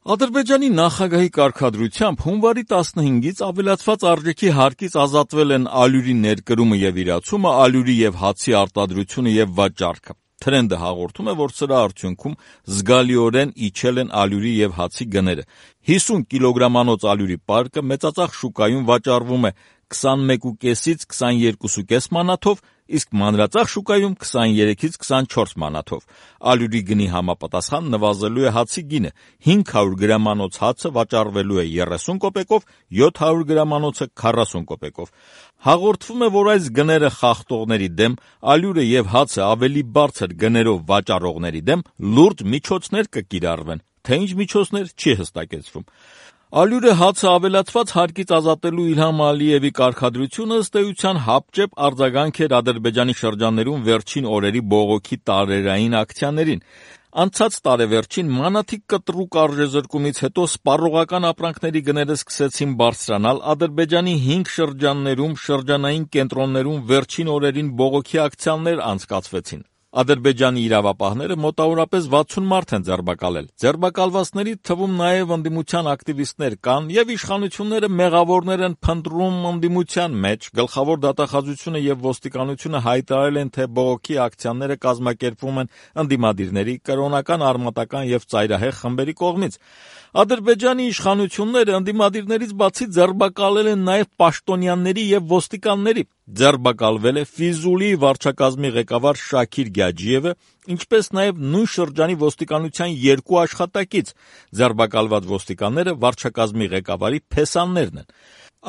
Ադրբեջանի նախագահի կարգադրությամբ հունվարի 15-ից ավելացված արժեքի հարկից ազատվել են ալյուրի ներկրումը եւ իրացումը, ալյուրի եւ հացի արտադրությունը եւ վաճառքը։ Թրենդը հաղորդում է, որ սրա արդյունքում զգալիորեն իջել են ալյուրի եւ հացի գները։ 50 կիլոգրամանոց ալյուրի պարկը մեծածախ շուկայում վաճառվում է 21.5-ից 22.5 մանաթով, իսկ մանրածախ շուկայում 23-ից 24 մանաթով։ Ալյուրի գնի համապատասխան նվազելու է հացի գինը։ 500 գրամանոց հացը վաճառվելու է 30 կոպեկով, 700 գրամանոցը 40 կոպեկով։ Հաղորդվում է, որ այս գները խախտողների դեմ, ալյուրը եւ հացը ավելի բարձր գներով վաճառողների դեմ լուրջ միջոցներ կկիրառվեն, թե ինչ միջոցներ չի հստակեցվում։ Ալյուրը հացը ավելացված հարկից ազատելու Իլհամ Ալիևի կարգադրությունը ըստ էության հապճեպ արձագանք էր Ադրբեջանի շրջաններում վերջին օրերի բողոքի տարերային ակցիաներին։ Անցած տարեվերջին մանաթիկ կտրուկ արժեզրկումից հետո սպառողական ապրանքների գները սկսեցին բարձրանալ, Ադրբեջանի 5 շրջաններում, շրջանային կենտրոններում վերջին օրերին բողոքի ակցիաներ անցկացվեցին։ Ադրբեջանի իրավապահները մոտավորապես 60 մարդ են ձերբակալել։ Ձերբակալվածների թվում նաև ընդդիմության ակտիվիստներ կան, եւ իշխանությունները մեղավորներ են փնտրում ընդդիմության մեջ։ Գլխավոր դատախազությունը եւ ոստիկանությունը հայտարարել են, թե բողոքի ակցիաները կազմակերպվում են ընդդիմադիրների, կրոնական, արմատական եւ ծայրահեղ խմբերի կողմից։ Ադրբեջանի իշխանությունները ընդդիմադիրներից բացի ձերբակալել են նաև պաշտոնյաների եւ ոստիկանների։ Ձերբակալվել է Ֆիզուլի վարչակազմի ղեկավար Շաքիր Գաջիևը, ինչպես նաև նույն շրջանի ոստիկանության 2 աշխատակից։ Ձերբակալված ոստիկանները վարչակազմի ղեկավարի փեսաներն են։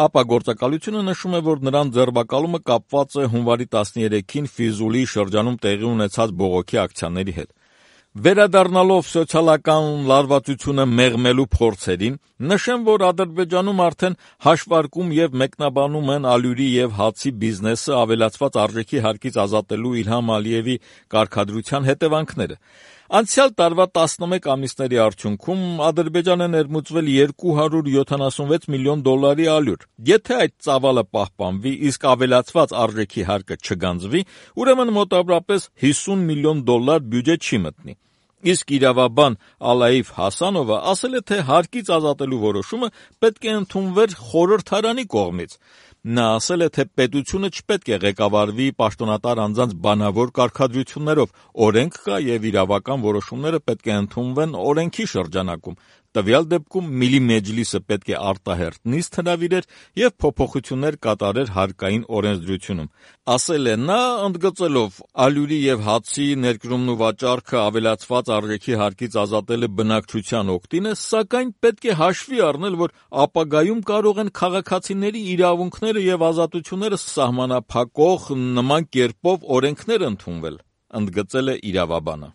ԱՊԱ գործակալությունը նշում է, որ նրանց ձերբակալումը կապված է հունվարի 13-ին Ֆիզուլի շրջանում տեղի ունեցած բողոքի ակցիաների հետ։ Վերադառնալով սոցիալական լարվածությունը մեղմելու փորձերին, նշեմ, որ Ադրբեջանում արդեն հաշվարկում եւ մեկնաբանում են ալյուրի եւ հացի բիզնեսը ավելացված արժեքի հարկից ազատելու Իլհամ Ալիևի կարգադրության հետևանքները։ Անցյալ տարվա 11 ամիսների արդյունքում Ադրբեջանը ներմուծվել 276 միլիոն դոլարի ալյուր։ Եթե այդ ծավալը պահպանվի, իսկ ավելացված արժեքի հարկը չգանձվի, ուրեմն մոտավորապես 50 միլիոն դոլար բյուջե չի մտնի։ Իսկ իրավաբան Ալաիֆ Հասանովը ասել է, թե հարկից ազատելու որոշումը պետք է ընդունվեր խորհրդարանի կողմից։ Նա ասել է, թե պետությունը չպետք է ղեկավարվի պաշտոնատար անձանց բանավոր կարգադրություններով, օրենք կա եւ իրավական որոշումները պետք է ընդունվեն օրենքի շրջանակում։ Տվյալ դեպքում Միլի Մեջլիսը պետք է արտահերթ նիստ հրավիրեր եւ փոփոխություններ կատարեր հարկային օրենսդրությունում։ Ասել է նա, ընդգծելով ալյուրի եւ հացի ներկրումն ու վաճառքը ավելացված արժեքի հարկից ազատելը բնակչության օգտին է, սակայն պետք է հաշվի առնել, որ ապագայում կարող են քաղաքացիների իրավունքները եւ ազատությունները սահմանափակող նման կերպով օրենքներ ընդունվել, ընդգծել է իրավաբանը։